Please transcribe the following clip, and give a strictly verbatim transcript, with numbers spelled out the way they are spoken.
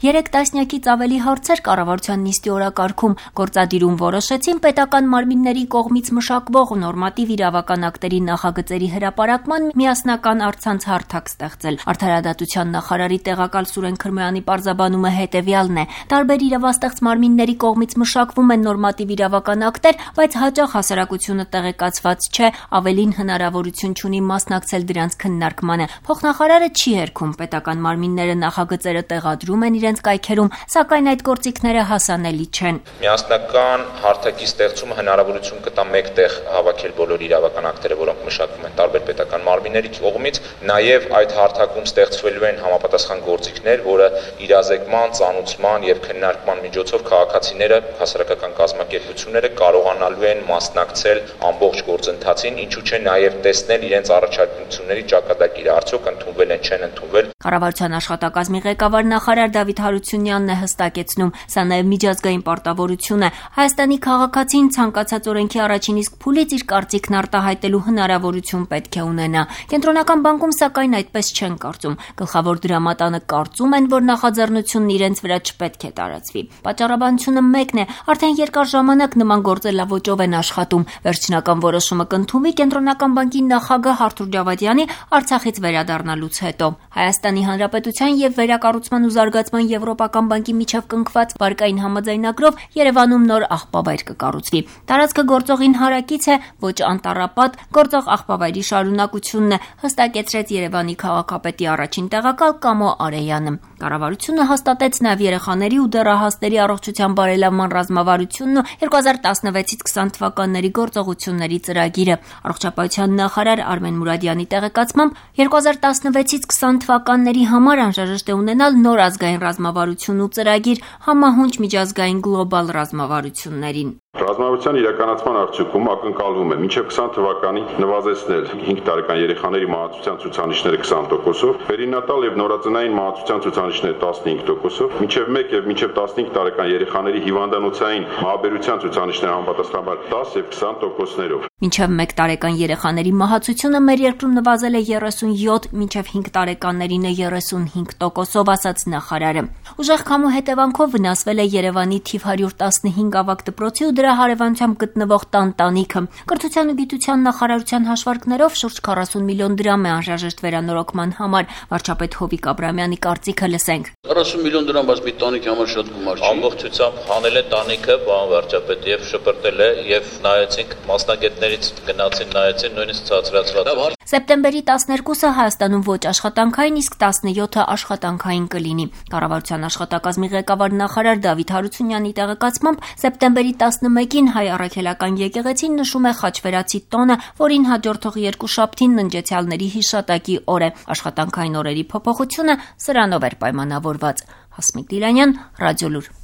Երեք տասնյակից ավելի հարցեր կառավարության նիստի օրակարգում գործադիրում որոշեցին պետական մարմինների կողմից մշակվող նորմատիվ իրավական ակտերի նախագծերի հրապարակման միասնական առցանց հարթակ ստեղծել։ Արդարադատության նախարարի տեղակալ Սուրեն Քրմոյանի պարզաբանումը հետևյալն է. տարբեր իրավաստեղծ մարմինների կողմից մշակվում են նորմատիվ իրավական ակտեր, բայց հաճախ հասարակությունը տեղեկացված չէ, ավելին հնարավորություն չունի մասնակցել դրանց քննարկմանը։ Փոխնախարարը չի հերքում պետական մարմինները նախագծերը տեղադրում են իրենց կայքերում, սակայն այդ գործիքները հասանելի չեն։ Միասնական հարթակի ստեղծումը հնարավորություն կտա մեկտեղ հավաքել բոլոր իրավական ակտերը, որոնք մշակվում են տարբեր պետական մարմինների կողմից, նաև այդ հարթակում ստեղծվելու են համապատասխան գործիքներ, որը իրազեկման, ծանուցման եւ քննարկման միջոցով քաղաքացիները, հասարակական կազմակերպությունները կարողանալու են մասնակցել ամբողջ գործընթացին, ինչու՞ չէ նաև տեսնել իրենց առաջարկությունների ճակատագիրը, արդյոք ընդունվել են, չեն ընդունվել։ Կառավարության աշխատակազմի ղեկավար նախարար Դավիթ Հարությունյանն է հստակեցնում, սա նաև միջազգային պարտավորություն է։ Հայաստանի քաղաքացին ցանկացած օրենքի առաջին իսկ փուլից իր կարծիքն արտահայտելու հնարավորություն պետք է ունենա։ Կենտրոնական բանկում սակայն այդպես չեն կարծում։ Գլխավոր դրամատանը կարծում են, որ նախաձեռնությունն իրենց վրա չպետք է տարածվի։ Պատճառաբանությունը մեկն է, արդեն երկար ժամանակ նման գործելավոճով են աշխատում։ Վերջնական որոշումը կընդունվի Կենտրոնական բանկի նախագահ Արթուր Ջավադյանի Արցախից վերադառնալուց հետո։ Հայաստանի Հանրապետության եւ Վերակառուցման ու Զարգացման Եվրոպական բանկի միջև կնքված վարկային համաձայնագրով Երևանում նոր աղբավայր կկառուցվի։ Տարածքը գործողին հարակից է, ոչ անտառապատ, գործող աղբավայրի շարունակությունն է, հստակեցրեց Երևանի քաղաքապետի առաջին տեղակալ Կամո Արեյանը։ Կառավարությունը հաստատեց նաև երեխաների ու դեռահասների առողջության բարելավման ռազմավարությունն ու երկու հազար տասնվեցից քսան թվականների գործողությունների ծրագիրը։ Առողջապահության նախարար Արմեն Մուրադյանի տեղեկացմամբ երկու հազար տասնվեցից քսան թվականների համար անհրաժեշտ է ունենալ նոր ազգային ռազմավարություն ու ծրագիր համահունչ միջազգային գլոբալ ռազմավարություններին։ Ռազմավարության իրականացման արդյունքում ակնկալվում է մինչև քսան թվականին նվազեցնել հինգ տարեկան երեխաների մահացության ցուցանիշները քսան տոկոսով, պերինատալ եւ նորածնային մահացության ցուցանիշները տասնհինգ տոկոսով, մինչև մեկ եւ մինչև տասնհինգ տարեկան երեխաների հիվանդանոցային մահաբերության ցուցանիշները համապատասխանաբար դաս եւ քսան տոկոսներով։ Մինչև մեկ տարեկան երեխաների մահացությունը մեր երկրում նվազել է երեսունյոթ, մինչև հինգ տարեկաններինը երեսունհինգ տոկոսով, ասաց նախարարը։ Ուժեղ քամու հետևանքով վնասվել է Երևանի թիվ հարյուր տասնհինգ ավագ դպրոցի ու դրա հարևանությամբ գտնվող տան տանիքը։ Կրթության ու գիտության նախարարության հաշվարկներով շուրջ քառասուն միլիոն դրամ է անհրաժեշտ վերանորոգման համար։ Վարչապետ Հովիկ Աբրամյանի կարծիքը լսենք։ քառասուն միլիոն դրամ բայց մի տանիքի համար շատ գումար չի։ Ամբողջությամբ հանել է տանիքը, պարոն վարչապետ, եւ շպրտել է, եւ նայեցինք մասնագետներից գնացին, նայեցին, նույնիսկ ցածրացրած։ Սեպտեմբերի տասներկուսը Հայաստանում ոչ աշխատանքային, իսկ տասնյոթը աշխատանքային կլինի։ Կառավարության աշխատակազմի ղեկավար նախարար Դավիթ Հարությունյանի տեղեկացմամբ սեպտեմբերի տասնմեկին Հայ առաքելական եկեղեցին նշում է Խաչվերացի տոնը, որին հաջորդող երկուշաբթին ննջեցյալների հիշատակի օր է։ Աշխատանքային օրերի փոփոխությունը սրանով էր պայմանավորված։ Հասմիկ Դիլանյան, Ռադիոլուր։